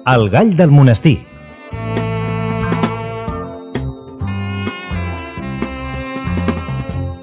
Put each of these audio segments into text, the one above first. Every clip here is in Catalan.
El gall del monestir.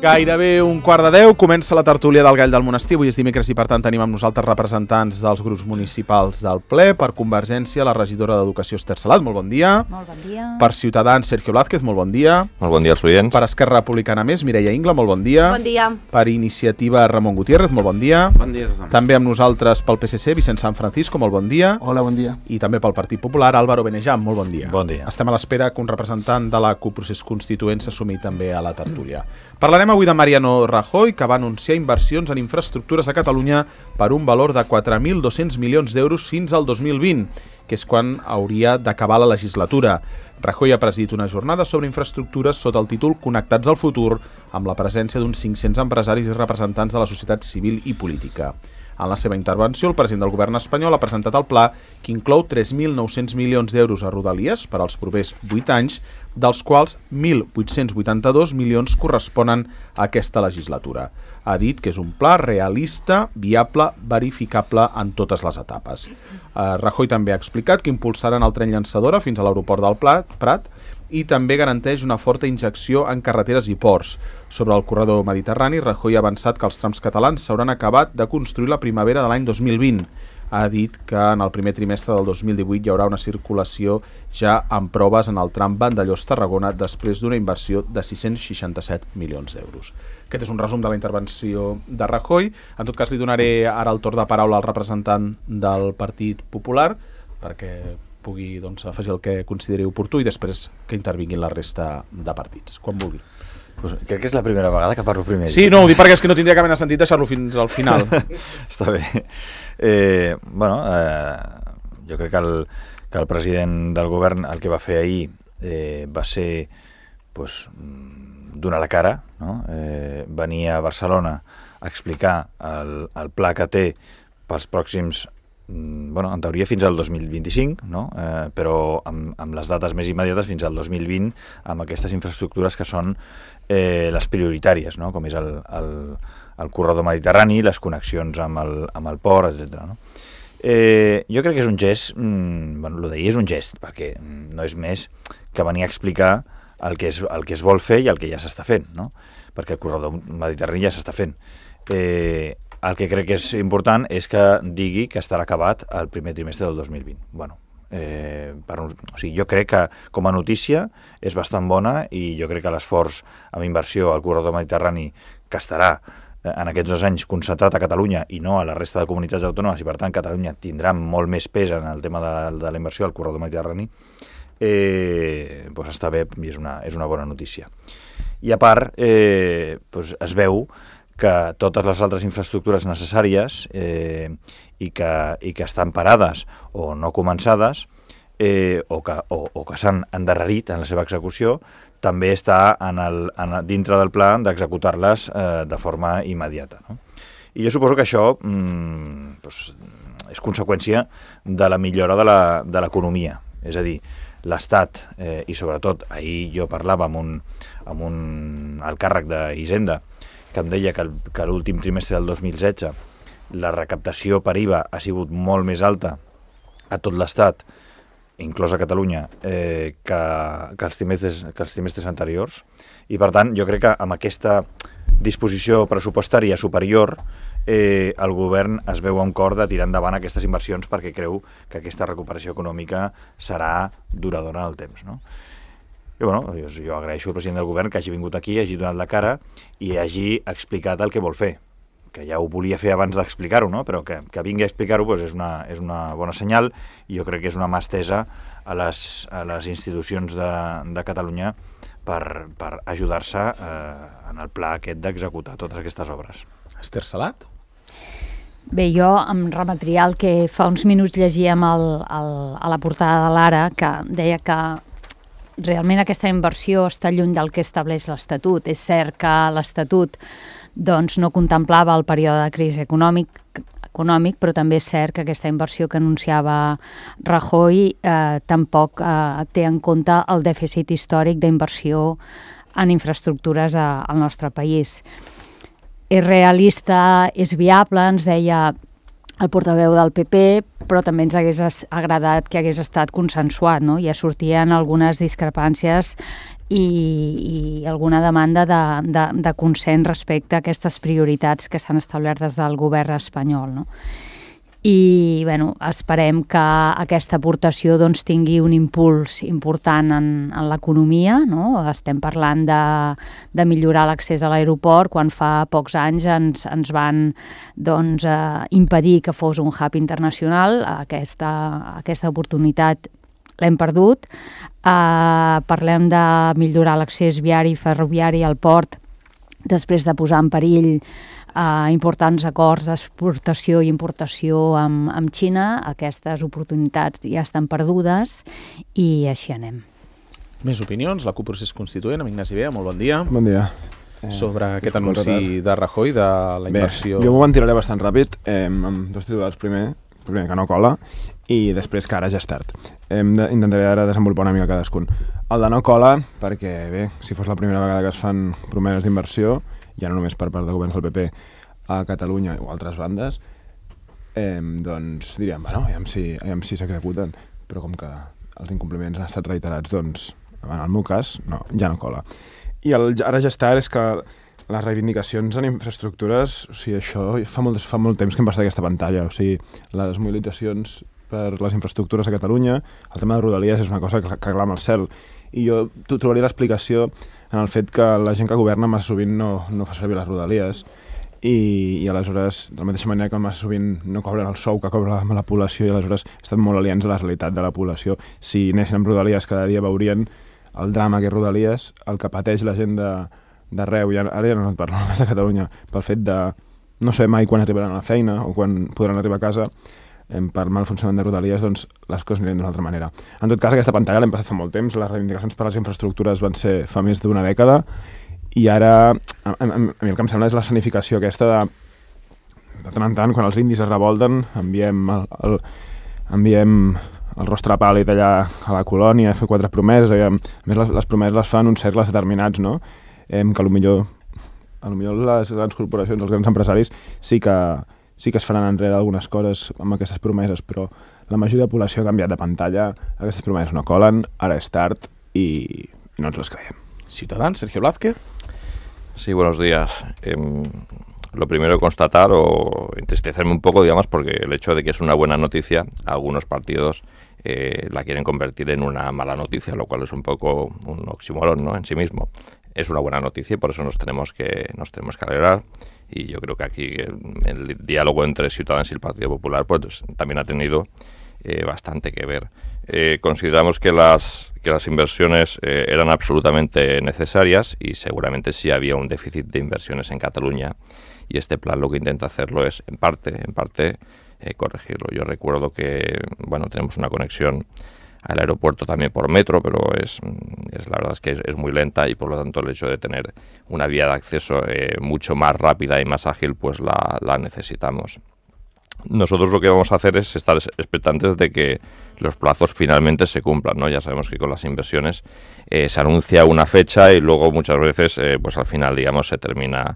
Gairebé 11:15, comença la tertúlia del Gall del Monestir. Avui és dimecres i per tant tenim amb nosaltres representants dels grups municipals del ple. Per Convergència, la regidora d'Educació Esther Salat, molt bon dia. Molt bon dia. Per Ciutadans, Sergio Blázquez, molt bon dia. Molt bon dia als oients. Per Esquerra Republicana Més, Mireia Ingla, molt bon dia. Bon dia. Per Iniciativa, Ramon Gutiérrez, molt bon dia. Bon dia a tothom. També amb nosaltres pel PSC, Vicent San Francisco, molt bon dia. Hola, bon dia. I també pel Partit Popular, Álvaro Benejam, molt bon dia. Bon dia. Estem a l'espera que un representant de la CUP Procés Constituent s'assumi també a la tertúlia. Parlarem avui de Mariano Rajoy, que va anunciar inversions en infraestructures a Catalunya per un valor de 4.200 milions d'euros fins al 2020, que és quan hauria d'acabar la legislatura. Rajoy ha presidit una jornada sobre infraestructures sota el títol Connectats al futur, amb la presència d'uns 500 empresaris i representants de la societat civil i política. En la seva intervenció, el president del govern espanyol ha presentat el pla que inclou 3.900 milions d'euros a Rodalies per als propers 8 anys, dels quals 1.882 milions corresponen a aquesta legislatura. Ha dit que és un pla realista, viable, verificable en totes les etapes. Rajoy també ha explicat que impulsaran el tren llançadora fins a l'aeroport del Prat i també garanteix una forta injecció en carreteres i ports. Sobre el corredor mediterrani, Rajoy ha avançat que els trams catalans s'hauran acabat de construir la primavera de l'any 2020. Ha dit que en el primer trimestre del 2018 hi haurà una circulació ja amb proves en el tram Vandellòs-Tarragona després d'una inversió de 667 milions d'euros. Aquest és un resum de la intervenció de Rajoy. En tot cas, li donaré ara el torn de paraula al representant del Partit Popular perquè pugui afegir el que consideri oportú i després que intervinguin la resta de partits, quan vulgui. Pues crec que és la primera vegada que parlo primer. Sí, no, ho dic perquè és que no tindria cap mena sentit deixar-lo fins al final. Està bé. Jo crec que el president del govern el que va fer ahir va ser donar la cara, no? Venir a Barcelona a explicar el pla que té pels pròxims, en teoria fins al 2025, no? Però amb les dates més immediates fins al 2020, amb aquestes infraestructures que són les prioritàries, no? Com és el corredor mediterrani, les connexions amb el port, etc. No? Jo crec que és un gest, el d'ahir és un gest, perquè no és més que venir a explicar el que es vol fer i el que ja s'està fent, no? Perquè el corredor mediterrani ja s'està fent. El que crec que és important és que digui que estarà acabat el primer trimestre del 2020. Jo crec que com a notícia és bastant bona i jo crec que l'esforç amb inversió al corredor mediterrani, que estarà en aquests 2 anys concentrat a Catalunya i no a la resta de comunitats autònomes, i per tant Catalunya tindrà molt més pes en el tema de la inversió al corredor mediterrani, està bé i és una bona notícia. I a part, es veu que totes les altres infraestructures necessàries i que estan parades o no començades o que s'han endarrerit en la seva execució, també està dintre del pla d'executar-les de forma immediata, no? I jo suposo que això és conseqüència de la millora de l'economia. És a dir, l'Estat, i sobretot ahir jo parlava amb un alt càrrec d'Hisenda, que em deia que l'últim trimestre del 2016 la recaptació per IVA ha sigut molt més alta a tot l'Estat, inclòs a Catalunya, que els trimestres anteriors. I per tant, jo crec que amb aquesta disposició pressupostària superior el govern es veu amb cor de tirar endavant aquestes inversions perquè creu que aquesta recuperació econòmica serà duradora en el temps, no? I jo agraeixo al president del govern que hagi vingut aquí, hagi donat la cara i hagi explicat el que vol fer, que ja ho volia fer abans d'explicar-ho, no? Però que vingui a explicar-ho és una bona senyal i jo crec que és una mà estesa a les institucions de Catalunya per ajudar-se en el pla aquest d'executar totes aquestes obres. Esther Salat? Bé, jo em remetria al que fa uns minuts llegíem a la portada de l'Ara, que deia que realment aquesta inversió està lluny del que estableix l'Estatut. És cert que l'Estatut no contemplava el període de crisi econòmic, però també és cert que aquesta inversió que anunciava Rajoy tampoc té en compte el dèficit històric d'inversió en infraestructures al nostre país. És realista, és viable, ens deia el portaveu del PP, però també ens hagués agradat que hagués estat consensuat, no? Ja sortien algunes discrepàncies i alguna demanda de consens respecte a aquestes prioritats que s'han establert des del govern espanyol, no? I esperem que aquesta aportació tingui un impuls important en l'economia, no? Estem parlant de millorar l'accés a l'aeroport quan fa pocs anys ens van impedir que fos un hub internacional. Aquesta oportunitat l'hem perdut. Parlem de millorar l'accés viari i ferroviari al port després de posar en perill importants acords d'exportació i importació amb Xina. Aquestes oportunitats ja estan perdudes i així anem. Més opinions? La CUP Procés Constituent, amb Ignasi Bea, molt bon dia. Bon dia. Sobre aquest anunci de Rajoy, de la inversió... Bé, jo m'ho ventiraré bastant ràpid, amb dos titulars. Primer que no cola, i després que ara ja és tard. Intentaré ara desenvolupar una mica cadascun. El de no cola, perquè bé, si fos la primera vegada que es fan promeses d'inversió, ja no només per part de governs del PP a Catalunya o altres bandes, doncs diríem, aviam si s'executen, però com que els incompliments han estat reiterats, doncs, en el meu cas, no, ja no cola. I ara ja està, és que les reivindicacions en infraestructures, o sigui, això fa molt temps que em passa d'aquesta pantalla, o sigui, les mobilitzacions per les infraestructures a Catalunya, el tema de Rodalies és una cosa que clama al cel, i jo trobaria l'explicació en el fet que la gent que governa massa sovint no fa servir les Rodalies i aleshores, de la mateixa manera que massa sovint no cobren el sou que cobra la població i aleshores estan molt aliens a la realitat de la població. Si anessin amb Rodalies cada dia veurien el drama que és Rodalies, el que pateix la gent d'arreu, ara ja no et parlo només de Catalunya, pel fet de no saber mai quan arribaran a la feina o quan podran arribar a casa per mal funcionament de Rodalies, doncs les coses aniran d'una altra manera. En tot cas, aquesta pantalla l'hem passat fa molt temps, les reivindicacions per a les infraestructures van ser fa més d'una dècada, i ara a mi el que em sembla és l'escenificació aquesta de tant en tant, quan els indis es revolten, enviem el rostre pàl·lid allà a la colònia a fer 4 promeses, a més les promeses les fan uns cercles determinats, no? Que potser les grans corporacions, els grans empresaris sí que es faran enrere algunes coses amb aquestes promeses, però la majoria de la població ha canviat de pantalla, aquestes promeses no colen, ara és tard i no ens les creiem. Ciutadans, Sergio Blázquez. Sí, buenos días. Lo primero constatar o entristecerme un poco, digamos, porque el hecho de que es una buena noticia, algunos partidos la quieren convertir en una mala noticia, lo cual es un poco un oxímoron, ¿no?, en sí mismo. Es una buena noticia y por eso nos tenemos que alegrar. Y yo creo que aquí el diálogo entre Ciudadanos y el Partido Popular pues también ha tenido bastante que ver. Consideramos que las inversiones eran absolutamente necesarias y seguramente sí había un déficit de inversiones en Cataluña y este plan lo que intenta hacerlo es en parte corregirlo. Yo recuerdo que tenemos una conexión al aeropuerto también por metro, pero la verdad es que es muy lenta y por lo tanto el hecho de tener una vía de acceso mucho más rápida y más ágil pues la necesitamos. Nosotros lo que vamos a hacer es estar expectantes de que los plazos finalmente se cumplan, ¿no? Ya sabemos que con las inversiones se anuncia una fecha y luego muchas veces pues al final, digamos, se termina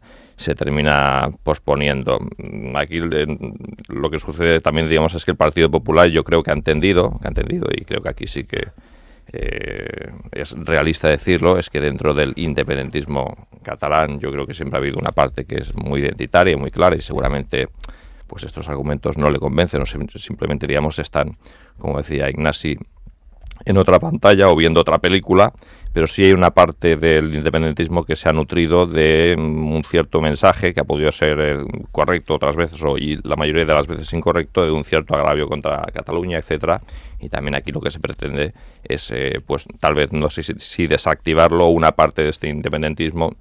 posponiendo. Aquí lo que sucede también, digamos, es que el Partido Popular yo creo que ha entendido y creo que aquí sí que es realista decirlo, es que dentro del independentismo catalán yo creo que siempre ha habido una parte que es muy identitaria y muy clara y seguramente pues estos argumentos no le convencen o simplemente, digamos, están, como decía Ignasi, en otra pantalla o viendo otra película, pero sí hay una parte del independentismo que se ha nutrido de un cierto mensaje que ha podido ser correcto otras veces y la mayoría de las veces incorrecto, de un cierto agravio contra Cataluña, etcétera. Y también aquí lo que se pretende es, pues tal vez, no sé si desactivarlo una parte de este independentismo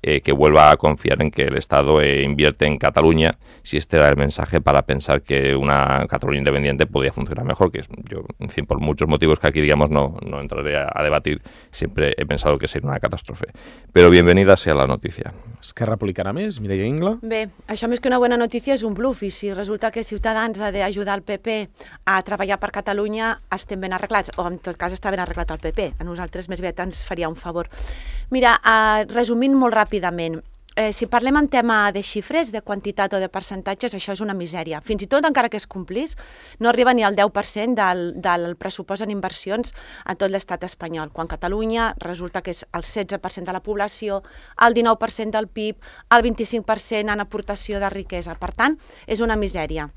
que vuelva a confiar en que el Estado invierte en Cataluña, si este era el mensaje para pensar que una Cataluña independiente podía funcionar mejor, que yo, en fin, por muchos motivos que aquí, digamos, no entraré a debatir, siempre he pensado que sería una catástrofe. Però bienvenida sea la notícia. Esquerra Republicana més, Mireia Ingla. Bé, això més que una bona notícia és un bluff, i si resulta que Ciutadans ha d'ajudar el PP a treballar per Catalunya, estem ben arreglats, o en tot cas està ben arreglat el PP. A nosaltres més aviat ens faria un favor. Mira, resumint molt ràpidament, si parlem en tema de xifres, de quantitat o de percentatges, això és una misèria. Fins i tot, encara que es complís, no arriba ni al 10% del pressupost en inversions a tot l'estat espanyol, quan Catalunya resulta que és el 16% de la població, el 19% del PIB, el 25% en aportació de riquesa. Per tant, és una misèria.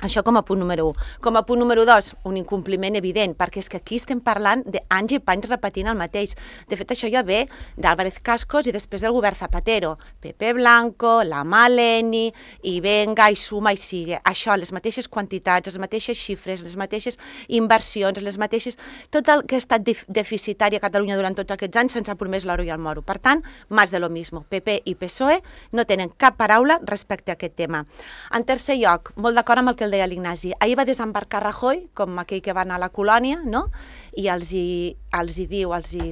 Això com a punt número 1. Com a punt número 2, un incompliment evident, perquè és que aquí estem parlant d'anys i panys repetint el mateix. De fet, això ja ve d'Álvarez Cascos i després del govern Zapatero. Pepe Blanco, la Maleni, i venga, i suma, i sigue. Això, les mateixes quantitats, les mateixes xifres, les mateixes inversions, les mateixes... Tot el que ha estat deficitari a Catalunya durant tots aquests anys se'ns ha promès l'oro i el moro. Per tant, más de lo mismo. PP i PSOE no tenen cap paraula respecte a aquest tema. En tercer lloc, molt d'acord amb el que el deia l'Ignasi. Ahir va desembarcar Rajoy, com aquell que va anar a la colònia, no? I els hi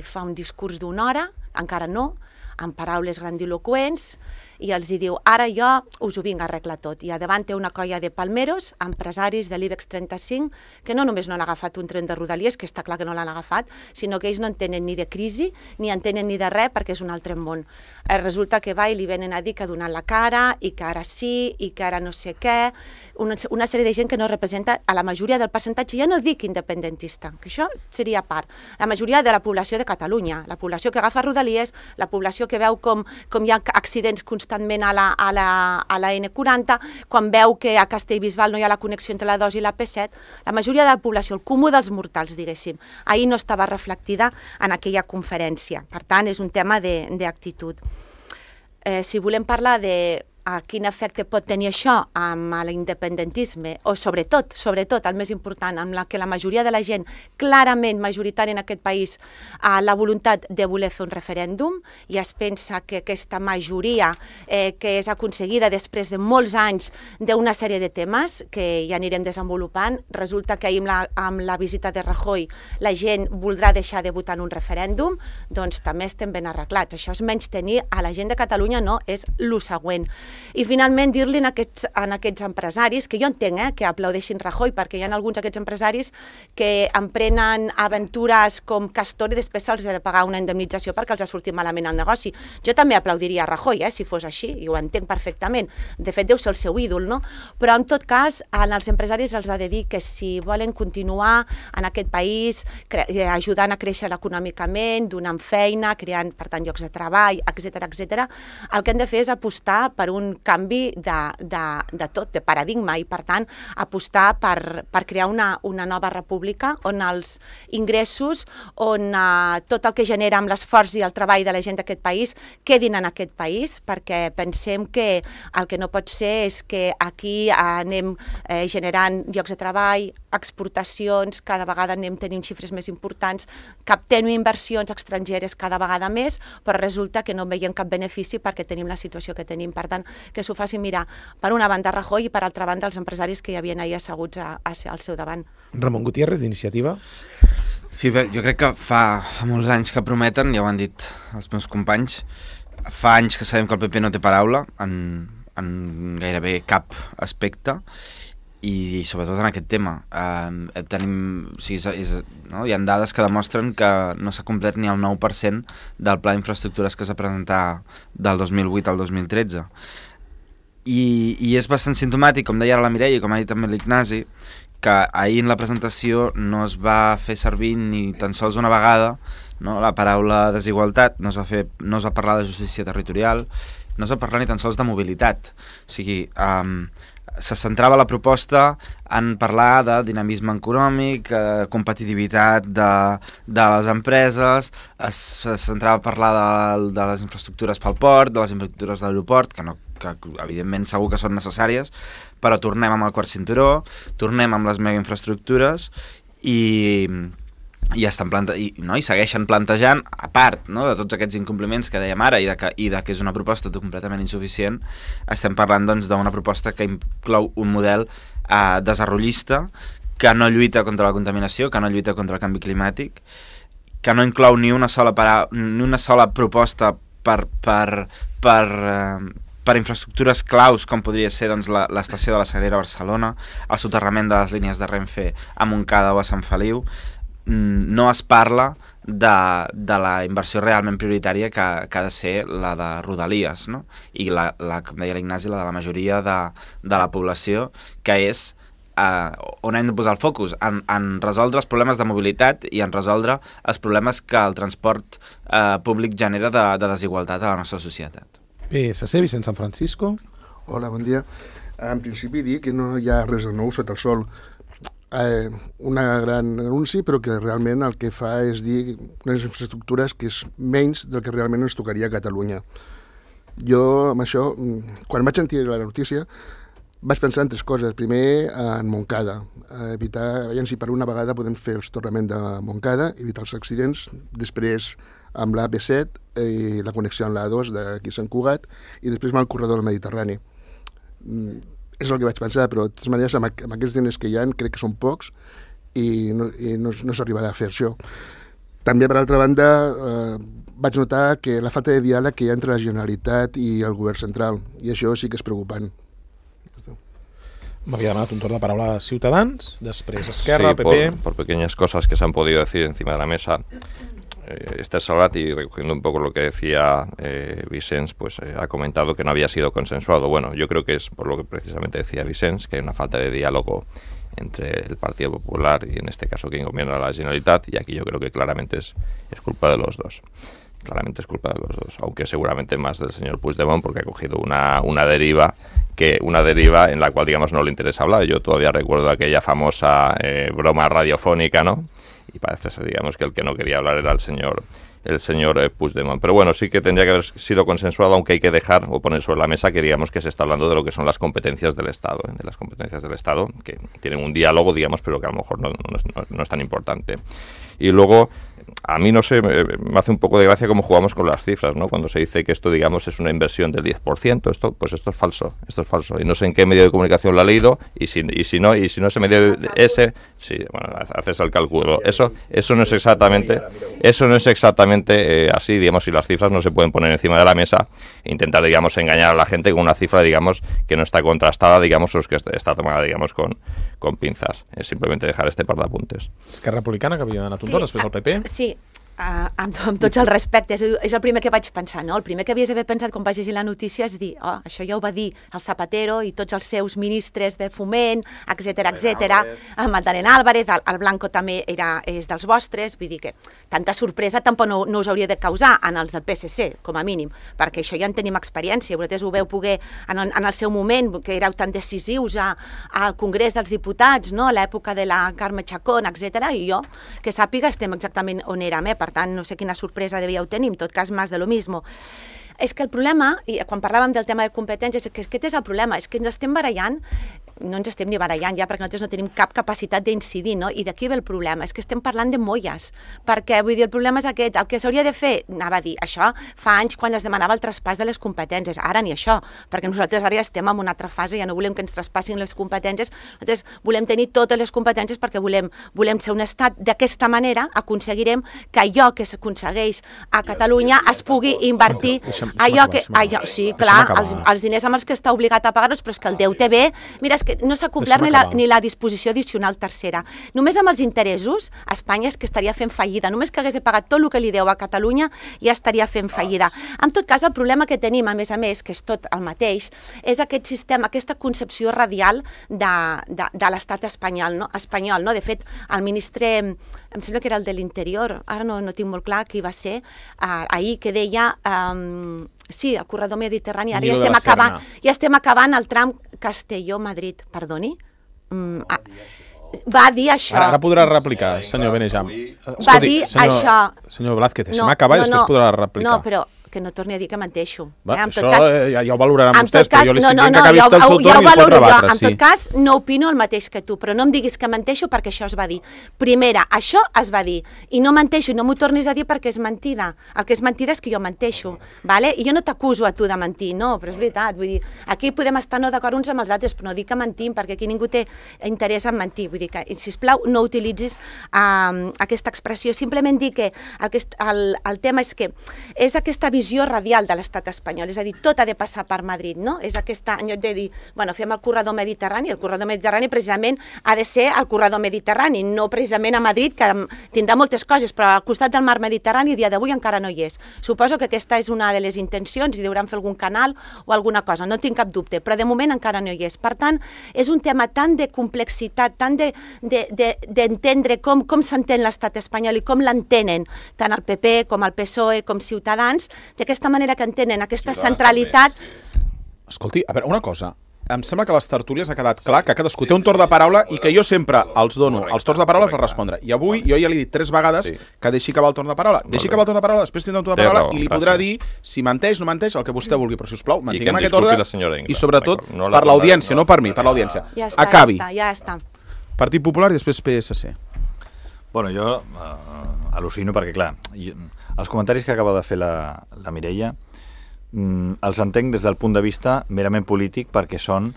fa un discurs d'una hora, encara no, amb paraules grandiloquents, i els hi diu, ara jo us ho vinc a arreglar tot. I a davant té una colla de palmeros, empresaris de l'IBEX 35, que no només no han agafat un tren de Rodalies, que està clar que no l'han agafat, sinó que ells no entenen ni de crisi, ni entenen ni de res, perquè és un altre món. Resulta que va i li venen a dir que ha donat la cara, i que ara sí, i que ara no sé què, una sèrie de gent que no representa a la majoria del percentatge, ja no dic independentista, que això seria a part, la majoria de la població de Catalunya, la població que agafa Rodalies, la població que veu com hi ha accidents constantment a la N40, quan veu que a Castellbisbal no hi ha la connexió entre la 2 i la P7, la majoria de la població, el comú dels mortals, diguéssim, ahir no estava reflectida en aquella conferència. Per tant, és un tema d'actitud. Si volem parlar de a quin efecte pot tenir això amb l'independentisme, o sobretot, el més important, amb la que la majoria de la gent, clarament majoritària en aquest país, ha la voluntat de voler fer un referèndum, i es pensa que aquesta majoria que és aconseguida després de molts anys d'una sèrie de temes que ja anirem desenvolupant, resulta que ahir amb la visita de Rajoy la gent voldrà deixar de votar en un referèndum, doncs també estem ben arreglats. Això és menys tenir a la gent de Catalunya, no, és lo següent. I finalment dir-li a aquests empresaris, que jo entenc que aplaudeixin Rajoy, perquè hi ha alguns d'aquests empresaris que emprenen aventures com Castor i després se'ls ha de pagar una indemnització perquè els ha sortit malament el negoci. Jo també aplaudiria Rajoy, si fos així, i ho entenc perfectament. De fet, deu ser el seu ídol, no? Però en tot cas, als empresaris els ha de dir que si volen continuar en aquest país ajudant a créixer econòmicament, donant feina, creant, per tant, llocs de treball, etc., el que han de fer és apostar per un canvi de tot, de paradigma, i per tant apostar per crear una nova república on els ingressos, on tot el que genera amb l'esforç i el treball de la gent d'aquest país quedin en aquest país, perquè pensem que el que no pot ser és que aquí anem generant llocs de treball, exportacions, cada vegada anem tenint xifres més importants, captem inversions estrangeres cada vegada més, però resulta que no veiem cap benefici perquè tenim la situació que tenim. Per tant, que s'ho facin mirar per una banda Rajoy i per altra banda els empresaris que hi havien ahir asseguts al seu davant. Ramon Gutiérrez, d'Iniciativa. Sí, bé, jo crec que fa molts anys que prometen, ja ho han dit els meus companys, fa anys que sabem que el PP no té paraula en gairebé cap aspecte, i sobretot en aquest tema. Hi ha dades que demostren que no s'ha complert ni el 9% del pla d'infraestructures que es va presentar del 2008 al 2013. I és bastant simptomàtic, com deia ara la Mireia i com ha dit també l'Ignasi, que ahir en la presentació no es va fer servir ni tan sols una vegada, no, la paraula desigualtat, no es va parlar de justícia territorial, no es va parlar ni tan sols de mobilitat. O sigui, se centrava la proposta en parlar de dinamisme econòmic, competitivitat de les empreses, se centrava a parlar de les infraestructures pel port, de les infraestructures de l'aeroport, que evidentment segur que són necessàries, però tornem amb el quart cinturó, tornem amb les megainfraestructures i segueixen plantejant, a part, no, de tots aquests incompliments que dèiem ara i de que és una proposta completament insuficient, estem parlant doncs, d'una proposta que inclou un model desarrollista, que no lluita contra la contaminació, que no lluita contra el canvi climàtic, que no inclou ni una sola proposta per infraestructures claus, com podria ser doncs, l'estació de la Sagrera a Barcelona, el soterrament de les línies de Renfe a Montcada o a Sant Feliu. no es parla de la inversió realment prioritària que ha de ser la de Rodalies, no? I com deia l'Ignasi, la de la majoria de la població, que és on hem de posar el focus, en resoldre els problemes de mobilitat i en resoldre els problemes que el transport públic genera de desigualtat a la nostra societat. PSC, Vicent San Francisco. Hola, bon dia. En principi dir que no hi ha res de nou sota el sol. Una gran anunci, però que realment el que fa és dir unes infraestructures que és menys del que realment ens tocaria a Catalunya. Jo, amb això, quan vaig sentir la notícia, vaig pensar en 3 coses. Primer, en Montcada. Evitar, veiem si per una vegada podem fer el soterrament de Montcada, evitar els accidents. Després, amb l'AP7 i la connexió amb l'A2 d'aquí a Sant Cugat, i després amb el corredor del Mediterrani. És el que vaig pensar, però de totes maneres amb aquests diners que hi ha crec que són pocs i no s'arribarà a fer això. També, per altra banda, vaig notar que la falta de diàleg que hi ha entre la Generalitat i el govern central, i això sí que és preocupant. M'havia demanat un torn de paraula a Ciutadans, després Esquerra, PP... Por pequeñas cosas que se han podido decir encima de la mesa. Esther Salvat, y recogiendo un poco lo que decía Vicens, pues ha comentado que no había sido consensuado. Bueno, yo creo que es por lo que precisamente decía Vicens, que hay una falta de diálogo entre el Partido Popular y en este caso quien gobierna la Generalitat, y aquí yo creo que claramente es culpa de los dos. Claramente es culpa de los dos, aunque seguramente más del señor Puigdemont, porque ha cogido una deriva en la cual, digamos, no le interesa hablar. Yo todavía recuerdo aquella famosa broma radiofónica, ¿no? Y parece ser, digamos, que el que no quería hablar era el señor Puigdemont. Pero bueno, sí que tendría que haber sido consensuado, aunque hay que dejar o poner sobre la mesa que, digamos, que se está hablando de lo que son las competencias del Estado, de las competencias del Estado, que tienen un diálogo, digamos, pero que a lo mejor no es tan importante. Y luego, a mí, no sé, me hace un poco de gracia cómo jugamos con las cifras, ¿no? Cuando se dice que esto, digamos, es una inversión del 10%, esto es falso, y no sé en qué medio de comunicación lo ha leído, y si no ese medio sí, bueno, haces el cálculo. Eso no es exactamente así, digamos, si las cifras no se pueden poner encima de la mesa e intentar, digamos, engañar a la gente con una cifra, digamos, que no está contrastada, digamos, o que está tomada, digamos, con pinzas. Es simplemente dejar este par de apuntes. Esquerra Republicana, que havia anat un torn, després el PP. Sí, amb tots els respectes, és el primer que vaig pensar, no? El primer que havies d'haver pensat quan vaig llegir la notícia és dir, això ja ho va dir el Zapatero i tots els seus ministres de foment, etc. Magdalena Álvarez, el Blanco també és dels vostres, vull dir que tanta sorpresa tampoc no us hauria de causar en els del PSC, com a mínim, perquè això ja en tenim experiència, vosaltres ho veu poder en el seu moment, que éreu tan decisius al Congrés dels Diputats, no? A l'època de la Carme Chacón, etc. I jo, que sàpiga, estem exactament on érem, per tant, no sé quina sorpresa devíeu tenir, en tot cas, més de lo mismo. És que el problema, i quan parlàvem del tema de competències, és que aquest és el problema, és que ens estem barallant, no ens estem ni barallant ja, perquè nosaltres no tenim cap capacitat d'incidir, no? I d'aquí ve el problema, és que estem parlant de molles, perquè, vull dir, el problema és aquest, el que s'hauria de fer, anava a dir, això fa anys quan es demanava el traspàs de les competències, ara ni això, perquè nosaltres ara ja estem en una altra fase, ja no volem que ens traspassin les competències, nosaltres volem tenir totes les competències perquè volem ser un estat, d'aquesta manera aconseguirem que allò que s'aconsegueix a Catalunya es pugui invertir, sí, clar, els diners amb els que està obligat a pagar-los, però és que el deute ve, mira, que no s'ha complert ni la disposició addicional tercera. Només amb els interessos, Espanya és que estaria fent fallida. Només que hagués de pagar tot el que li deu a Catalunya ja estaria fent fallida. En tot cas, el problema que tenim, a més, que és tot el mateix, és aquest sistema, aquesta concepció radial de l'estat espanyol, no? De fet, el ministre, em sembla que era el de l'Interior, ara no tinc molt clar qui va ser, ahir, que deia... Sí, el corredor mediterrani, ara ja estem acabant el tram Castelló-Madrid, perdoni? Va dir això. Ara podrà replicar, senyor Benejam. Va dir això. Senyor Blázquez, deixem acabar i després podrà replicar. No, però que no torni a dir que menteixo. Això ja ho valoraran vostès, però jo li estic dient que acabi el seu torn i el pot rebatre. En tot cas, no opino el mateix que tu, però no em diguis que menteixo perquè això es va dir. Primera, això es va dir, i no menteixo, i no m'ho tornis a dir perquè és mentida. El que és mentida és que jo menteixo, i jo no t'acuso a tu de mentir, no, però és veritat, vull dir, aquí podem estar no d'acord uns amb els altres, però no dic que mentim, perquè aquí ningú té interès en mentir, vull dir que, sisplau, no utilitzis aquesta expressió, simplement dir que el tema és que és aquesta visió visió radial de l'estat espanyol, és a dir, tot ha de passar per Madrid, no? És aquesta, en lloc de dir, bueno, fem el corredor mediterrani, el corredor mediterrani precisament ha de ser el corredor mediterrani, no precisament a Madrid, que tindrà moltes coses, però al costat del mar Mediterrani a dia d'avui encara no hi és. Suposo que aquesta és una de les intencions i deuran fer algun canal o alguna cosa, no tinc cap dubte, però de moment encara no hi és. Per tant, és un tema tan de complexitat, tan d'entendre com s'entén l'estat espanyol i com l'entenen tant el PP com el PSOE com Ciutadans, d'aquesta manera que entenen aquesta centralitat. Escolti, a veure, una cosa. Em sembla que a les tertúlies ha quedat clar que cadascú té un torn de paraula i que jo sempre els dono els torns de paraula per respondre. I avui jo ja li he dit 3 vegades que deixi acabar el torn de paraula. Deixi acabar el torn de paraula, després tindrà un torn de paraula i li podrà dir si menteix, no menteix, el que vostè vulgui. Però, sisplau, mantinguem aquest ordre i, sobretot, per l'audiència, no per mi, per l'audiència. Acabi. Ja està. Partit Popular i després PSC. Bueno, jo al·lucino perquè, clar, els comentaris que acaba de fer la Mireia els entenc des del punt de vista merament polític perquè són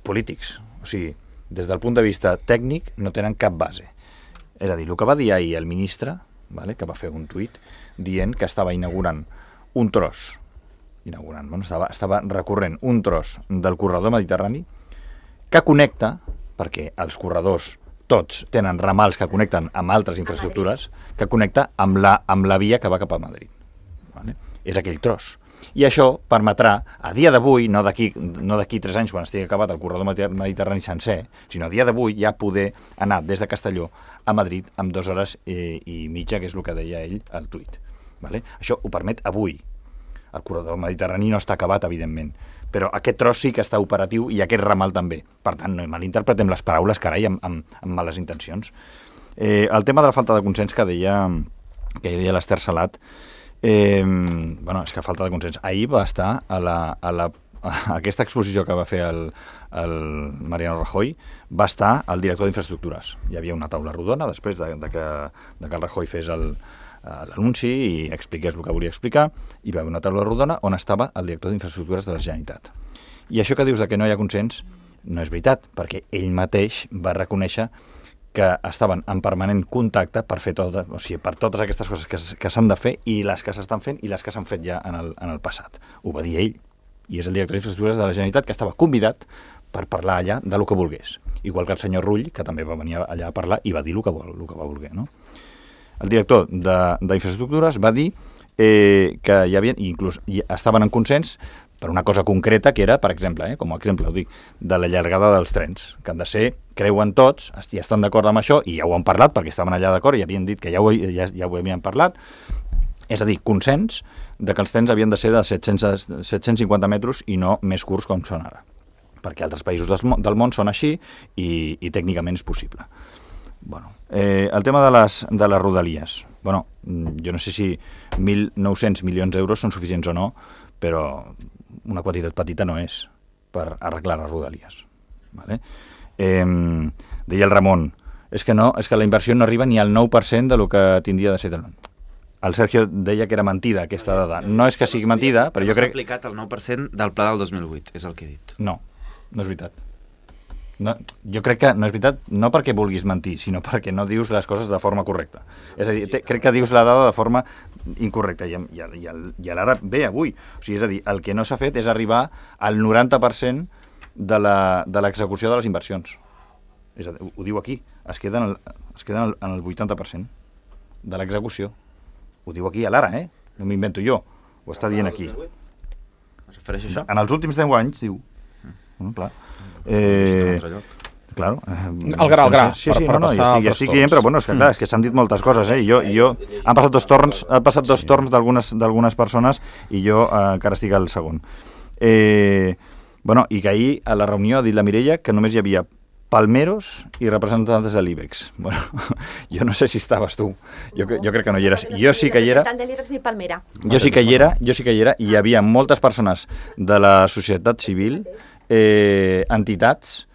polítics. O sigui, des del punt de vista tècnic no tenen cap base. És a dir, el que va dir ahir el ministre, que va fer un tuit, dient que estava inaugurant un tros, estava recorrent un tros del corredor mediterrani que connecta, perquè els corredors tots tenen ramals que connecten amb altres infraestructures, que connecta amb la via que va cap a Madrid. És aquell tros. I això permetrà, a dia d'avui, no d'aquí 3 anys quan estigui acabat el corredor mediterrani sencer, sinó a dia d'avui ja poder anar des de Castelló a Madrid amb 2 hores i mitja, que és el que deia ell al tuit. Això ho permet avui. El corredor mediterrani no està acabat, evidentment, però aquest tros sí que està operatiu i aquest ramal també. Per tant, no malinterpretem les paraules, carai, amb males intencions. El tema de la falta de consens que deia l'Ester Salat, és que falta de consens. Ahir va estar a aquesta exposició que va fer el Mariano Rajoy, va estar el director d'Infraestructures. Hi havia una taula rodona després de que el Rajoy fes l'anunci i expliqués el que volia explicar, i va haver una taula rodona on estava el director d'Infraestructures de la Generalitat. I això que dius que no hi ha consens no és veritat, perquè ell mateix va reconèixer que estaven en permanent contacte per fer per totes aquestes coses que s'han de fer i les que s'estan fent i les que s'han fet ja en el passat. Ho va dir ell, i és el director d'Infraestructures de la Generalitat que estava convidat per parlar allà de lo que volgués. Igual que el senyor Rull, que també va venir allà a parlar i va dir el que va voler. No? El director d'Infraestructures va dir que hi havia, inclús estaven en consens per una cosa concreta que era, per exemple, com a exemple ho dic, de la llargada dels trens, que han de ser, creuen tots, i estan d'acord amb això, i ja ho han parlat, perquè estaven allà d'acord i havien dit que ja ho havien parlat, és a dir, consens de que els trens havien de ser de 750 metres i no més curts com són ara, perquè altres països del món són així i tècnicament és possible. El tema de les rodalies, jo no sé si 1.900 milions d'euros són suficients o no, però una quantitat petita no és per arreglar les rodalies. Deia el Ramon, és que la inversió no arriba ni al 9% del que tindria de ser. El Sergio deia que era mentida aquesta dada. No és que sigui mentida, però jo crec... No s'ha aplicat el 9% del pla del 2008, és el que he dit. No és veritat. No, jo crec que no és veritat, no perquè vulguis mentir, sinó perquè no dius les coses de forma correcta. És a dir, crec que dius la dada de forma incorrecta i l'ara ve avui. O sigui, és a dir, el que no s'ha fet és arribar al 90% de l'execució de les inversions. És a dir, ho diu aquí, es queden en el 80% de l'execució. Ho diu aquí a l'ara, no m'invento jo, ho està dient aquí. Es refereix a això? En els últims 10 anys, diu. Clar. Claro. El gra. Sí, estic dient, però és que clar, és que s'han dit moltes coses, i jo han passat dos torns d'algunes persones i jo encara estic al segon. I que ahir a la reunió ha dit la Mireia que només hi havia palmeros i representants de l'IBEX. Jo no sé si estaves tu, jo crec que no hi eres. Jo sí que hi era. Jo sí que hi era i hi havia moltes persones de la societat civil, entitats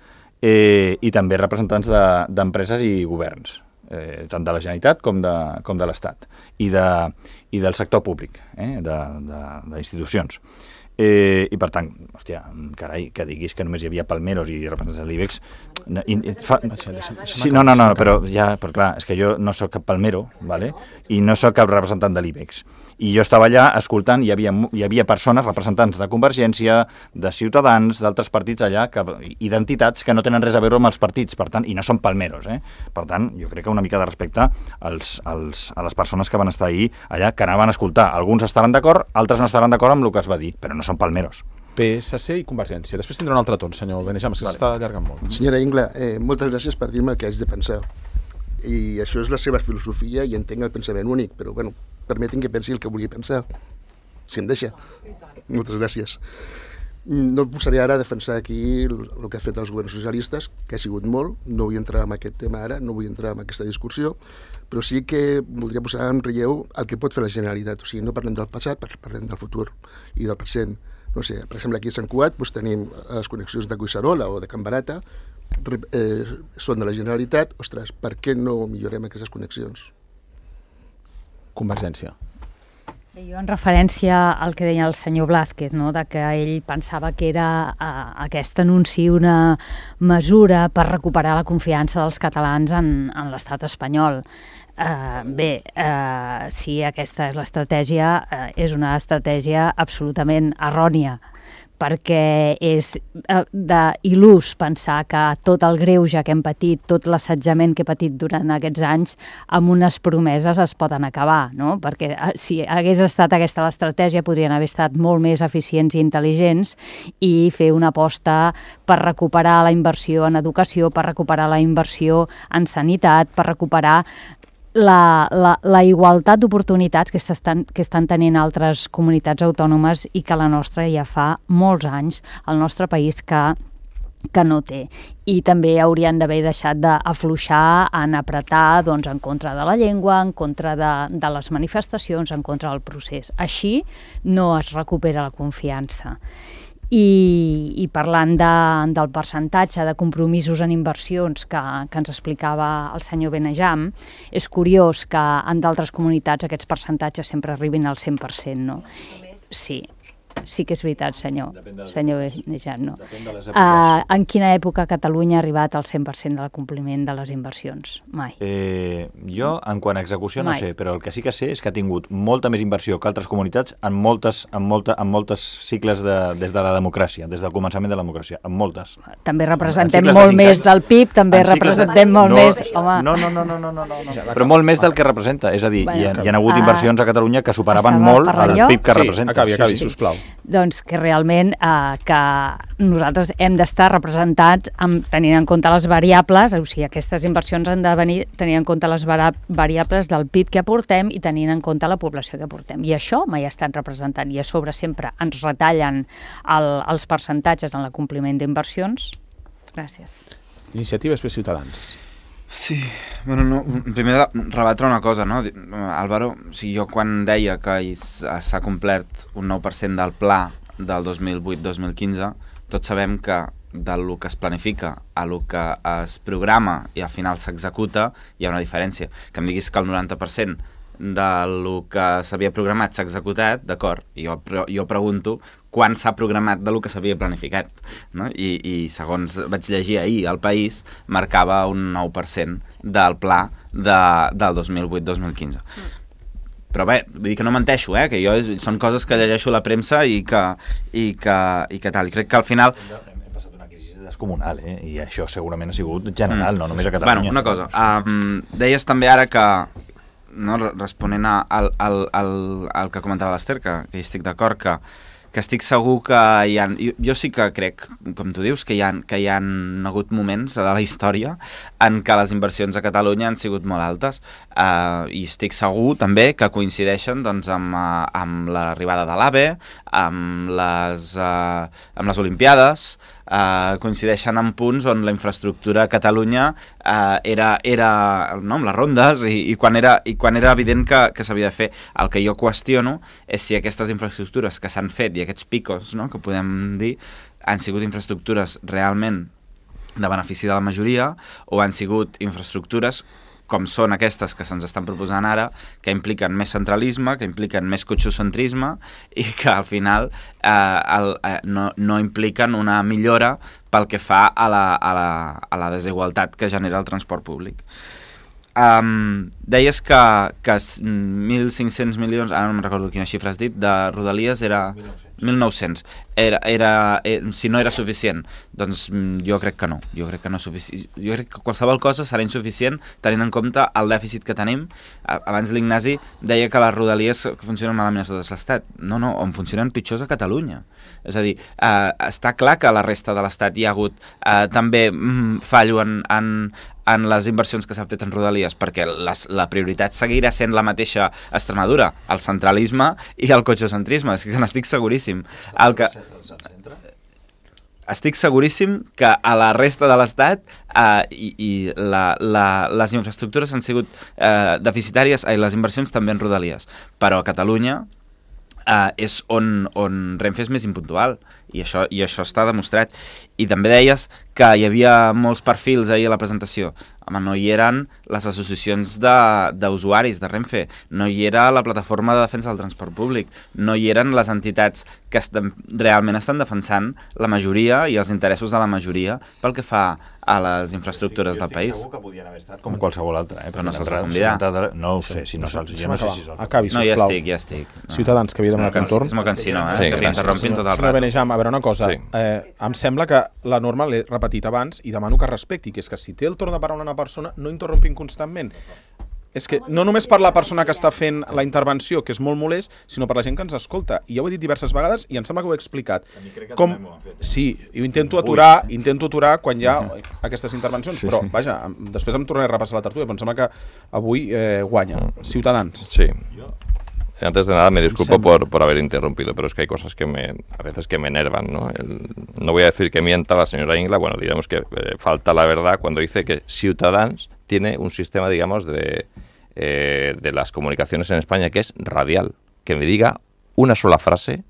i també representants d'empreses i governs, tant de la Generalitat com de l'Estat i del sector públic, d'institucions. I per tant, hòstia, carai, que diguis que només hi havia palmeros i representants de l'IBEX... Sí, no, però clar, és que jo no sóc cap palmero, ¿vale? I no sóc cap representant de l'IBEX. I jo estava allà escoltant, hi havia persones, representants de Convergència, de Ciutadans, d'altres partits allà, i d'entitats que no tenen res a veure amb els partits, per tant, i no són palmeros, Per tant, jo crec que una mica de respecte a les persones que van estar ahir allà, que anaven a escoltar. Alguns estaran d'acord, altres no estaran d'acord amb el que es va dir, però no són palmeros. PSC i Convergència. Després tindrà un altre torn, senyor Benejam, que s'està allargant molt. Senyora Ingla, moltes gràcies per dir-me el que haig de pensar. I això és la seva filosofia i entenc el pensament únic, però bueno, permetin que pensi el que vulgui pensar, si em deixa. Moltes gràcies. No em posaré ara a defensar aquí el que ha fet els governs socialistes, que ha sigut molt, no vull entrar en aquest tema ara, no vull entrar en aquesta discussió, però sí que voldria posar en relleu el que pot fer la Generalitat. O sigui, no parlem del passat, parlem del futur i del present. No sé, per exemple, aquí a Sant Cugat tenim les connexions de Collserola o de Can Barata, són de la Generalitat. Ostres, per què no millorem aquestes connexions? Convergència. Jo, en referència al que deia el senyor Blázquez, no? De que ell pensava que era aquest anunci una mesura per recuperar la confiança dels catalans en l'estat espanyol. Si aquesta és l'estratègia, és una estratègia absolutament errònia, perquè és d'il·lús pensar que tot el greuge que hem patit, tot l'assetjament que he patit durant aquests anys, amb unes promeses es poden acabar, no? Perquè si hagués estat aquesta l'estratègia, podrien haver estat molt més eficients i intel·ligents i fer una aposta per recuperar la inversió en educació, per recuperar la inversió en sanitat, per recuperar la igualtat d'oportunitats que estan tenint altres comunitats autònomes i que la nostra ja fa molts anys, el nostre país que no té. I també haurien d'haver deixat d'afluixar en apretar en contra de la llengua, en contra de les manifestacions, en contra del procés. Així no es recupera la confiança. I parlant del percentatge de compromisos en inversions que ens explicava el senyor Benejam, és curiós que en d'altres comunitats aquests percentatges sempre arribin al 100%, no? Sí que és veritat, senyor Benejam, no? En quina època Catalunya ha arribat al 100% del compliment de les inversions? Mai. Jo, en quant a execució, no sé, però el que sí que sé és que ha tingut molta més inversió que altres comunitats en moltes cicles des de la democràcia, des del començament de la democràcia, en moltes. També representem molt més del PIB, també representem molt més... No, però molt més del que representa, és a dir, hi ha hagut inversions a Catalunya que superaven molt el PIB que representa. Acabi, sisplau. Doncs que realment que nosaltres hem d'estar representats tenint en compte les variables, o sigui, aquestes inversions han de venir tenint en compte les variables del PIB que aportem i tenint en compte la població que aportem. I això mai ha estat representat. I a sobre sempre ens retallen els percentatges en l'acompliment d'inversions. Gràcies. Iniciativa després Ciutadans. Sí, bueno, primer rebatre una cosa, no? Álvaro, jo quan deia que s'ha complert un 9% del pla del 2008-2015, tots sabem que del que es planifica a lo que es programa i al final s'executa hi ha una diferència. Que em diguis que el 90% del que s'havia programat s'ha executat, d'acord, jo pregunto quan s'ha programat del que s'havia planificat, no? I segons vaig llegir ahir, El País marcava un 9% del pla del 2008-2015. Però bé, vull dir que no menteixo, que jo són coses que llegeixo a la premsa i que tal. I crec que al final... Hem passat una crisi descomunal, i això segurament ha sigut general, no només a Catalunya. Bueno, una cosa, deies també ara que, no, responent al que comentava l'Ester, que hi estic d'acord, que estic segur que hi ha... Jo sí que crec, com tu dius, que hi ha hagut moments a la història en què les inversions a Catalunya han sigut molt altes, i estic segur també que coincideixen amb l'arribada de l'AVE, amb les Olimpiades, coincideixen en punts on la infraestructura a Catalunya era amb les rondes i quan era evident que s'havia de fer. El que jo qüestiono és si aquestes infraestructures que s'han fet i aquests picos, no, que podem dir, han sigut infraestructures realment de benefici de la majoria o han sigut infraestructures com són aquestes que se'ns estan proposant ara, que impliquen més centralisme, que impliquen més cotxocentrisme i que al final no impliquen una millora pel que fa a la desigualtat que genera el transport públic. Deies que 1.500 milions, ara no me'n recordo quina xifra has dit, de Rodalies era 1.900. Si no era suficient, doncs jo crec que no. Jo crec que no és suficient. Jo crec que qualsevol cosa serà insuficient tenint en compte el dèficit que tenim. Abans l'Ignasi deia que les Rodalies funcionen malament a tot l'Estat. No, on funcionen pitjors a Catalunya. És a dir, està clar que a la resta de l'Estat hi ha hagut també fallo en les inversions que s'han fet en Rodalies, perquè la prioritat seguirà sent la mateixa a Extremadura, el centralisme i el cotxocentrisme, és que n'estic seguríssim. Estic seguríssim que a la resta de l'Estat les infraestructures han sigut deficitàries, les inversions també en Rodalies, però a Catalunya és on Renfe és més impuntual i això està demostrat. I també deies que hi havia molts perfils ahir a la presentació. Home, no hi eren les associacions d'usuaris de Renfe, no hi era la plataforma de defensa del transport públic, no hi eren les entitats que realment estan defensant la majoria i els interessos de la majoria pel que fa a les infraestructures del país. Segur que podien haver estat com qualsevol altre. Però no se'ls va convidar. No ho sé, jo no sé si són. Acabi, sisplau. No, ja estic. Ciutadans, que havia demanat un torn. És molt cansino, Sí, que t'interrompin tot el Senyor rato. Benejam, a veure una cosa. Sí. Em sembla que la norma l'he repetit abans i demano que respecti, que és que si té el torn de paraula una persona, no interrompin constantment. És que no només per la persona que està fent la intervenció, que és molt molest, sinó per la gent que ens escolta. I ja ho he dit diverses vegades i em sembla que ho he explicat. Sí, jo intento aturar quan hi ha aquestes intervencions, però vaja, després em tornaré a repassar la tertúlia, però em sembla que avui guanya. Ciutadans. Sí. Antes de nada, me disculpo por haber interrumpido, pero es que hay cosas que a veces que me enervan, ¿no? No voy a decir que mienta la señora Ingla, bueno, diremos que falta la verdad cuando dice que Ciutadans tiene un sistema, digamos, de las comunicaciones en España que es radial. Que me diga una sola frase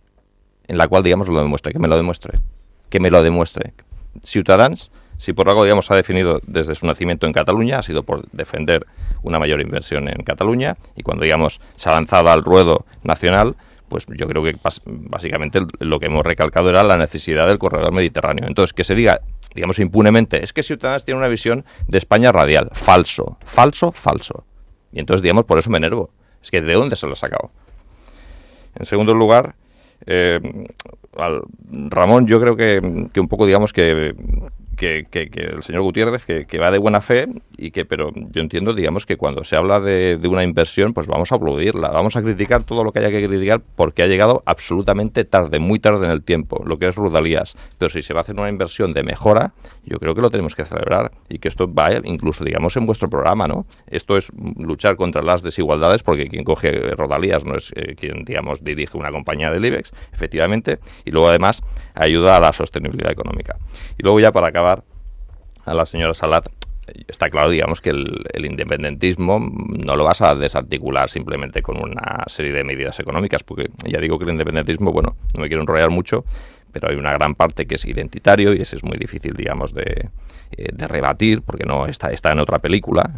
en la cual, digamos, lo demuestre, que me lo demuestre. Ciutadans, si por algo, digamos, ha definido desde su nacimiento en Cataluña, ha sido por defender una mayor inversión en Cataluña, y cuando, digamos, se ha lanzado al ruedo nacional, pues yo creo que básicamente lo que hemos recalcado era la necesidad del corredor mediterráneo. Entonces, que se diga, digamos, impunemente, es que Ciudadanos tiene una visión de España radial. Falso. Y entonces, digamos, por eso me enervo. Es que ¿de dónde se lo ha sacado? En segundo lugar, Ramón, yo creo que un poco, digamos, que el señor Gutiérrez, que va de buena fe, pero yo entiendo, digamos, que cuando se habla de una inversión, pues vamos a aplaudirla, vamos a criticar todo lo que haya que criticar porque ha llegado absolutamente tarde, muy tarde en el tiempo, lo que es Rodalías. Pero si se va a hacer una inversión de mejora, yo creo que lo tenemos que celebrar y que esto vaya incluso, digamos, en vuestro programa, ¿no? Esto es luchar contra las desigualdades, porque quien coge Rodalías no es quien, digamos, dirige una compañía del IBEX, efectivamente, y luego además ayuda a la sostenibilidad económica. Y luego ya para acabar, a la señora Salat, está claro, digamos, que el independentismo no lo vas a desarticular simplemente con una serie de medidas económicas, porque ya digo que el independentismo, bueno, no me quiero enrollar mucho, pero hay una gran parte que es identitario y ese es muy difícil, digamos, de rebatir, porque no está en otra película,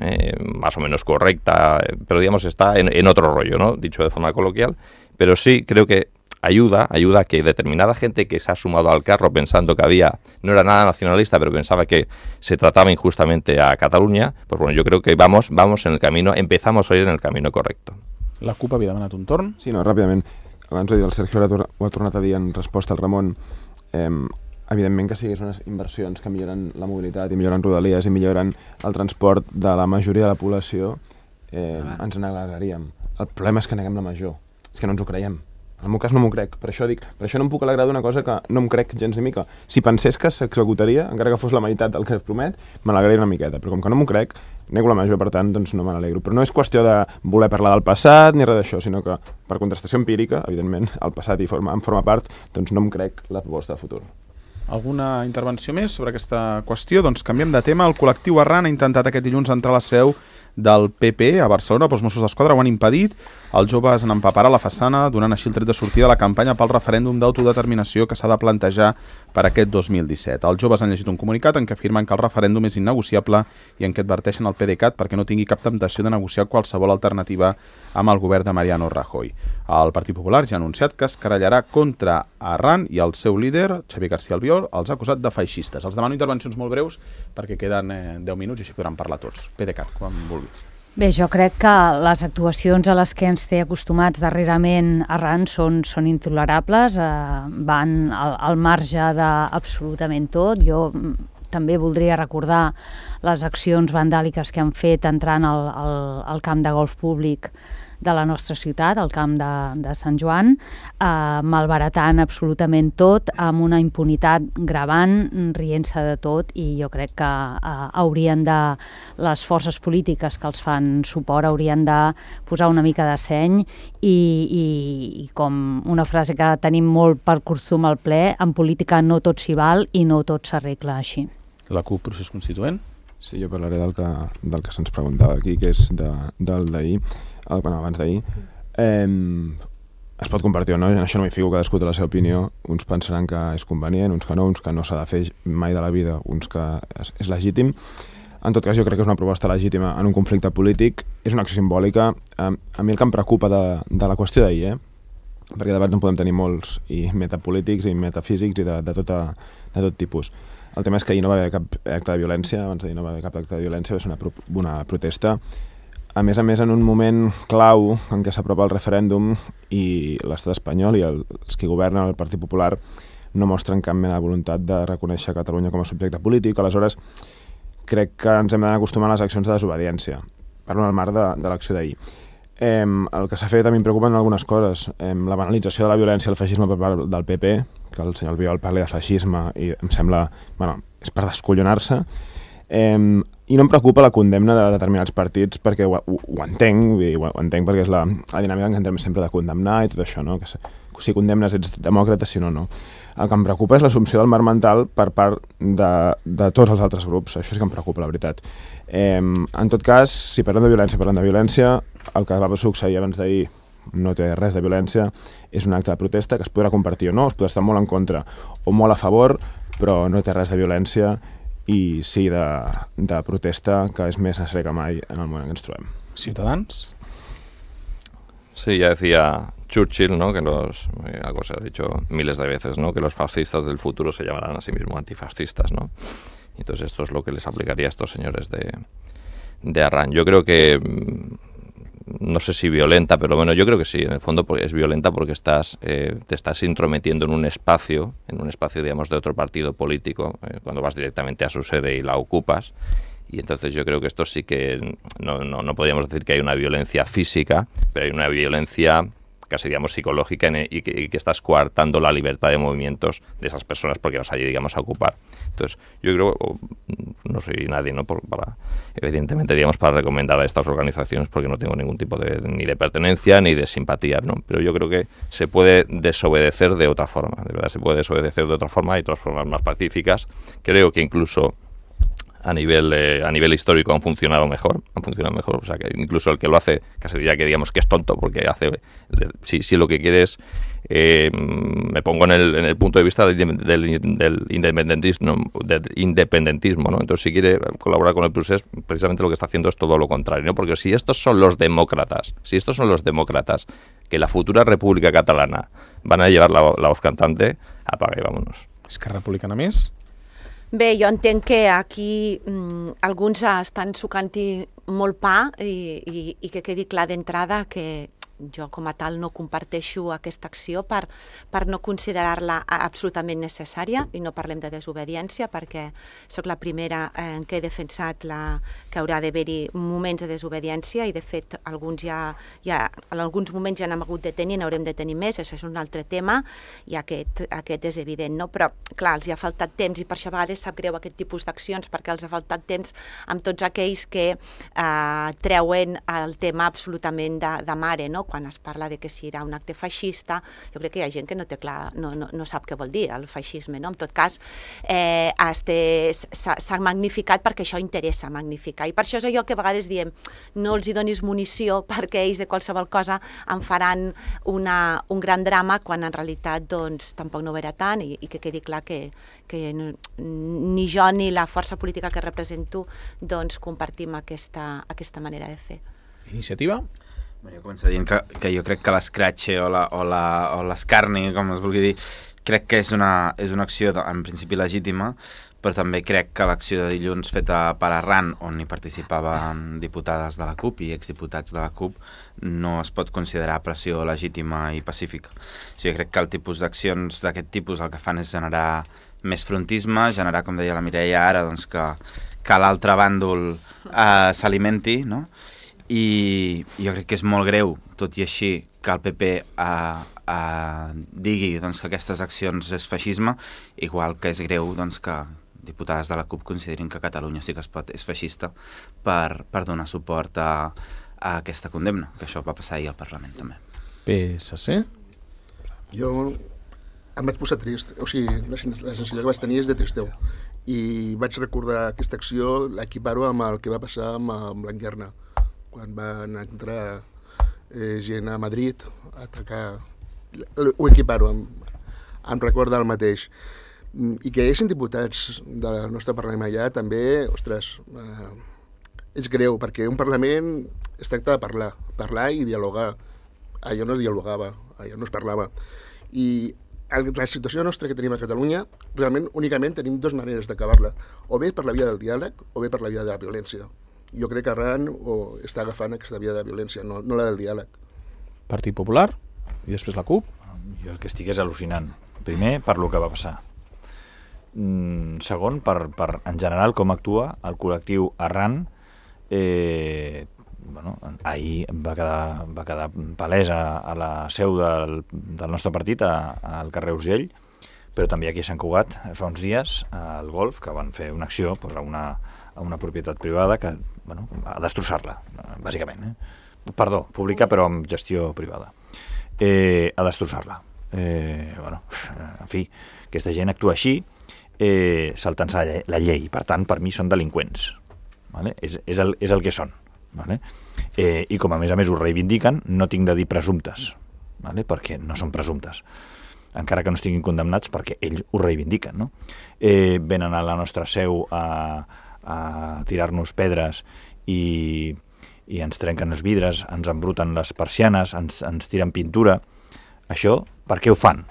más o menos correcta, pero digamos está en otro rollo, ¿no? Dicho de forma coloquial, pero sí creo que ayuda a que determinada gente que se ha sumado al carro pensando que no era nada nacionalista, pero pensaba que se trataba injustamente a Catalunya, pues bueno, yo creo que vamos en el camino, empezamos a ir en el camino correcto. La CUP havia demanat un torn. Sí, no, ràpidament. Abans ho ha dit el Sergio, ho ha tornat a dir en resposta al Ramon. Evidentment que sigués unes inversions que milloren la mobilitat i milloren Rodalies i milloren el transport de la majoria de la població, ens n'alegraríem. El problema és que neguem la major. És que no ens ho creiem. En el meu cas no m'ho crec, per això no em puc alegrar d'una cosa que no em crec gens ni mica. Si pensés que s'executaria, encara que fos la meitat del que es promet, me n'alegraria una miqueta, però com que no m'ho crec, nego la major, per tant, doncs no me n'alegro. Però no és qüestió de voler parlar del passat ni res d'això, sinó que per contrastació empírica, evidentment, el passat en forma part, doncs no em crec la proposta de futur. Alguna intervenció més sobre aquesta qüestió? Doncs canviem de tema. El col·lectiu Arran ha intentat aquest dilluns entrar a la seu del PP a Barcelona, però els Mossos d'Esquadra ho han impedit. Els joves han empapat a la façana, donant així el tret de sortida de la campanya pel referèndum d'autodeterminació que s'ha de plantejar per aquest 2017. Els joves han llegit un comunicat en què afirmen que el referèndum és innegociable i en què adverteixen el PDeCAT perquè no tingui cap temptació de negociar qualsevol alternativa amb el govern de Mariano Rajoy. El Partit Popular ja ha anunciat que es querellarà contra Arran i el seu líder, Xavier García Albiol, els ha acusat de feixistes. Els demano intervencions molt breus perquè queden 10 minuts i així podran parlar tots. PDeCAT, quan vulgui. Bé, jo crec que les actuacions a les que ens té acostumats darrerament Arran són intolerables, van al marge d'absolutament tot. Jo també voldria recordar les accions vandàliques que han fet entrant al camp de golf públic de la nostra ciutat, al camp de Sant Joan, malbaratant absolutament tot, amb una impunitat gravant, rient-se de tot, i jo crec que les forces polítiques que els fan suport haurien de posar una mica de seny i com una frase que tenim molt per costum al ple, en política no tot s'hi val i no tot s'arregla així. La CUP, procés constituent? Sí, jo parlaré del que se'ns preguntava aquí, que és del d'ahir, abans d'ahir. Es pot compartir o no, en això no m'hi fico, cadascú té la seva opinió. Uns pensaran que és convenient, uns que no s'ha de fer mai de la vida, uns que és legítim. En tot cas, jo crec que és una proposta legítima en un conflicte polític, és una acció simbòlica. A mi el que em preocupa de la qüestió d'ahir, perquè debats en podem tenir molts, i metapolítics i metafísics i de tot tipus. El tema és que ahir no va haver cap acte de violència, abans d'ahir no va haver cap acte de violència, va ser una protesta. A més, en un moment clau en què s'apropa el referèndum i l'estat espanyol i els que governen el Partit Popular no mostren cap mena de voluntat de reconèixer Catalunya com a subjecte polític. Aleshores, crec que ens hem d'anar acostumant a les accions de desobediència. Parlo en el marc de l'acció d'ahir. El que s'ha fet a mi em preocupen algunes coses. La banalització de la violència i el feixisme per part del PP, que el senyor Albiol parli de feixisme i em sembla, és per descollonar-se. I no em preocupa la condemna de determinats partits perquè ho entenc, ho entenc perquè és la dinàmica en què entrem sempre de condemnar i tot això, no? Que si condemnes ets demòcrata, si no, no. El que em preocupa és l'assumpció del marc mental per part de tots els altres grups. Això sí que em preocupa, la veritat. En tot cas, si parlem de violència, el que va succeir abans d'ahir no té res de violència, és un acte de protesta que es podrà compartir o no, es podrà estar molt en contra o molt a favor, però no té res de violència i sí de protesta, que és més necessari que mai en el moment en què ens trobem. Ciutadans? Sí, ya decía Churchill, ¿no? Que algo se ha dicho miles de veces, ¿no? Que los fascistas del futuro se llamarán a sí mismos antifascistas, ¿no? Entonces esto es lo que les aplicaría a estos señores de Arran. Yo creo que, no sé si violenta, pero bueno, yo creo que sí, en el fondo es violenta porque te estás intrometiendo en un espacio, digamos, de otro partido político, cuando vas directamente a su sede y la ocupas. Y entonces yo creo que esto sí que no podríamos decir que hay una violencia física, pero hay una violencia casi, digamos, psicológica y que estás coartando la libertad de movimientos de esas personas porque vas allí, digamos, a ocupar. Entonces yo creo, no soy nadie, ¿no? Evidentemente, digamos, para recomendar a estas organizaciones porque no tengo ningún tipo ni de pertenencia ni de simpatía, ¿no? Pero yo creo que se puede desobedecer de otra forma, de verdad se puede desobedecer de otra forma, hay otras formas más pacíficas. Creo que incluso a nivel histórico han funcionado mejor, o sea que incluso el que lo hace casi diría que digamos que es tonto porque si lo que quiere es me pongo en el punto de vista del independentismo, ¿no? Entonces si quiere colaborar con el procés, precisamente lo que está haciendo es todo lo contrario, ¿no? Porque si estos son los demócratas que la futura República Catalana van a llevar la voz cantante, apaga y vámonos. Esquerra Republicana més? Bé, jo entenc que aquí alguns estan sucant-hi molt pa i que quedi clar d'entrada que jo com a tal no comparteixo aquesta acció per no considerar-la absolutament necessària, i no parlem de desobediència perquè sóc la primera que he defensat que haurà d'haver-hi moments de desobediència i de fet en alguns moments ja n'hem hagut de tenir i n'haurem de tenir més, això és un altre tema i aquest és evident, no? Però clar, els hi ha faltat temps i per això a vegades sap greu aquest tipus d'accions perquè els ha faltat temps amb tots aquells que treuen el tema absolutament de mare, no? quan es parla de que si era un acte feixista, jo crec que hi ha gent que no té clar, no sap què vol dir el feixisme, no? En tot cas, s'ha magnificat perquè això interessa magnificar, i per això és allò que a vegades diem, no els hi donis munició perquè ells de qualsevol cosa en faran un gran drama, quan en realitat doncs, tampoc no ho era tant, i que quedi clar que ni jo ni la força política que represento doncs, compartim aquesta manera de fer. Iniciativa? Jo començo dient que jo crec que l'escratxe o l'escarni, com es vulgui dir, crec que és una acció en principi legítima, però també crec que l'acció de dilluns feta per Arran, on hi participaven diputades de la CUP i exdiputats de la CUP, no es pot considerar pressió legítima i pacífica. Jo crec que el tipus d'accions d'aquest tipus el que fan és generar més frontisme, generar, com deia la Mireia ara, doncs que l'altre bàndol s'alimenti, no? I jo crec que és molt greu, tot i així, que el PP digui doncs, que aquestes accions és feixisme, igual que és greu doncs, que diputades de la CUP considerin que Catalunya sí que és feixista per donar suport a aquesta condemna, que això va passar ahir al Parlament també. PSC? Jo em vaig posar trist, o sigui, la sensació que vaig tenir és de tristeu, i vaig recordar aquesta acció, l'equiparo amb el que va passar amb Blanquerna, quan van entrar gent a Madrid a atacar, ho equiparo, em recorda el mateix. I que hi hagin diputats del nostre Parlament allà també, ostres, és greu, perquè un Parlament es tracta de parlar i dialogar. Allò no es dialogava, allò no es parlava. I la situació nostra que tenim a Catalunya, realment únicament tenim dues maneres d'acabar-la, o bé per la via del diàleg o bé per la via de la violència. Jo crec que Arran està agafant aquesta via de violència, no la del diàleg. Partit Popular i després la CUP? Jo el que estic és al·lucinant. Primer, per lo que va passar. Segon, per en general com actua el col·lectiu Arran. Ahir va quedar palès a la seu del nostre partit, al carrer Urgell, però també aquí a Sant Cugat, fa uns dies, al Golf, que van fer una acció a una propietat privada a destrossar-la, bàsicament. Perdó, pública però amb gestió privada. A destrossar-la. En fi, aquesta gent actua així, saltant-se la llei. Per tant, per mi són delinqüents. És el que són. I com a més ho reivindiquen, no tinc de dir presumptes, perquè no són presumptes, encara que no estiguin condemnats, perquè ells ho reivindiquen. Venen a la nostra seu a tirar-nos pedres i ens trenquen els vidres, ens embruten les persianes, ens tiren pintura. Això, per què ho fan?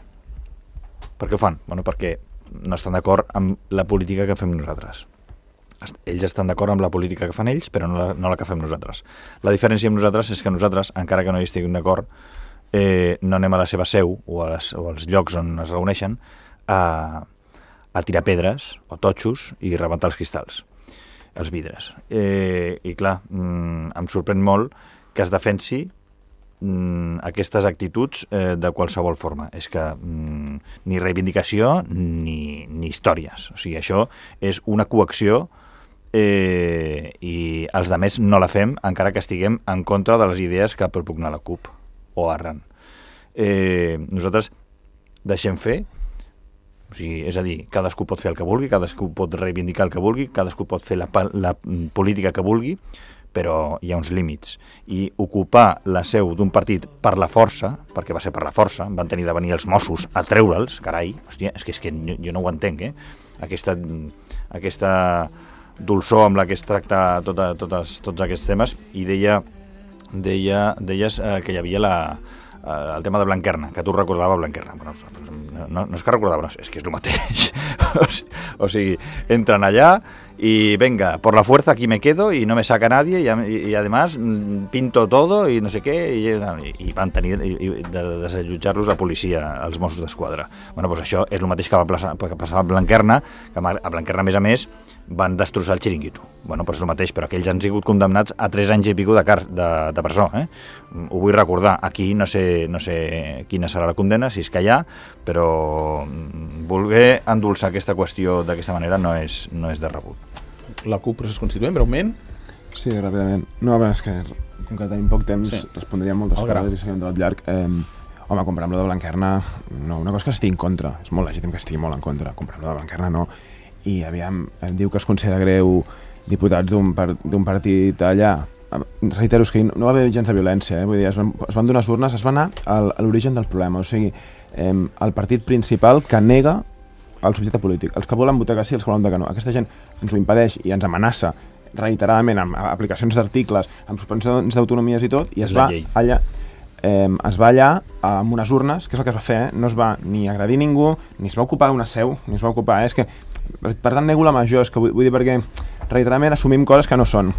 Per què ho fan? Perquè no estan d'acord amb la política que fem nosaltres. Ells estan d'acord amb la política que fan ells, però no la que fem nosaltres. La diferència amb nosaltres és que nosaltres, encara que no hi estiguin d'acord, no anem a la seva seu o als llocs on es reuneixen a tirar pedres o totxos i rebentar els cristalls, els vidres. I clar, em sorprèn molt que es defensi aquestes actituds de qualsevol forma. És que ni reivindicació ni històries. O sigui, això és una coacció i els altres no la fem encara que estiguem en contra de les idees que propugna la CUP o Arran. Nosaltres deixem fer, o sigui, és a dir, cadascú pot fer el que vulgui, cadascú pot reivindicar el que vulgui, cadascú pot fer la política que vulgui, però hi ha uns límits. I ocupar la seu d'un partit per la força, perquè va ser per la força, van tenir de venir els Mossos a treure'ls, carai, hòstia, és que jo no ho entenc, aquesta dolçor amb la que es tracta tots aquests temes. I deies que hi havia el tema de Blanquerna, que tu recordava Blanquerna. No és que recordava, és que és el mateix. O sigui, entran allà y venga, por la fuerza aquí me quedo y no me saca nadie y además pinto todo y no sé què, i van tenir de desallotjar-los la policia, els Mossos d'Esquadra. Doncs això és el mateix que va passar a Blanquerna, que a Blanquerna, a més, van destrossar el xiringuito. Doncs és el mateix, però aquells han sigut condemnats a 3 anys i pico de presó. Ho vull recordar. Aquí no sé quina serà la condemna, si és que hi ha, però voler endolçar aquesta qüestió d'aquesta manera no és de rebut. La CUP procés constituent, breument. Sí, ràpidament. No, és que com que tenim poc temps, respondríem moltes coses i seria un debat llarg. Home, comprar amb lo de Blanquerna, no, una cosa que estigui en contra, és molt legítim que estigui molt en contra, comprar amb lo de Blanquerna no, i aviam, diu que es considera greu diputats d'un partit allà. Reitero, és que no va haver gens de violència, vull dir, es van donar urnes, es va anar a l'origen del problema, o sigui, el partit principal que nega el subjecte polític, els que volen votar que sí, els que volen votar que no. Aquesta gent ens ho impedeix i ens amenaça reiteradament amb aplicacions d'articles, amb suspensions d'autonomies i tot, i es va allà amb unes urnes, que és el que es va fer, no es va ni agredir ningú, ni es va ocupar una seu, ni es va ocupar, és que, per tant, nego la major, és que vull dir perquè reiteradament assumim coses que no són,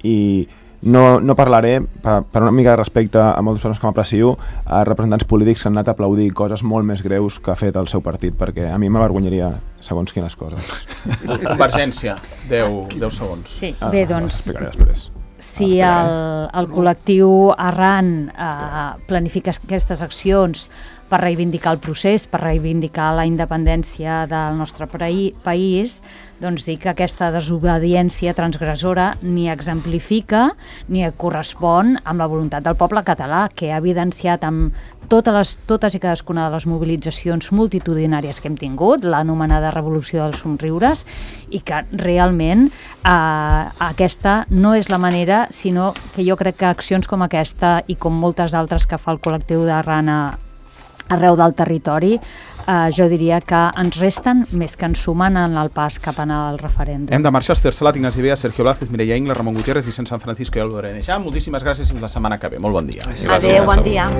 i no parlaré, per una mica de respecte a moltes persones que m'aprecio, a representants polítics que han anat a aplaudir coses molt més greus que ha fet el seu partit, perquè a mi m'avergonyaria segons quines coses. Convergència, 10 segons. Sí, bé, doncs... Explicaré després. Si el col·lectiu Arran planifica aquestes accions per reivindicar el procés, per reivindicar la independència del nostre país, doncs dic que aquesta desobediència transgressora ni exemplifica ni correspon amb la voluntat del poble català, que ha evidenciat amb totes i cadascuna de les mobilitzacions multitudinàries que hem tingut, l'anomenada Revolució dels Somriures, i que realment aquesta no és la manera, sinó que jo crec que accions com aquesta i com moltes altres que fa el col·lectiu d'Arran arreu del territori, jo diria que ens resten més que ens sumen en el pas cap al referèndum. Hem de marxar. Esther Salat, Ignasi Bea, Sergio Blázquez, Mireia Ingles, Ramon Gutiérrez, Vicent San Francisco i Aldo Areneja. Moltíssimes gràcies i fins la setmana que ve. Molt bon dia. Adéu, bon dia.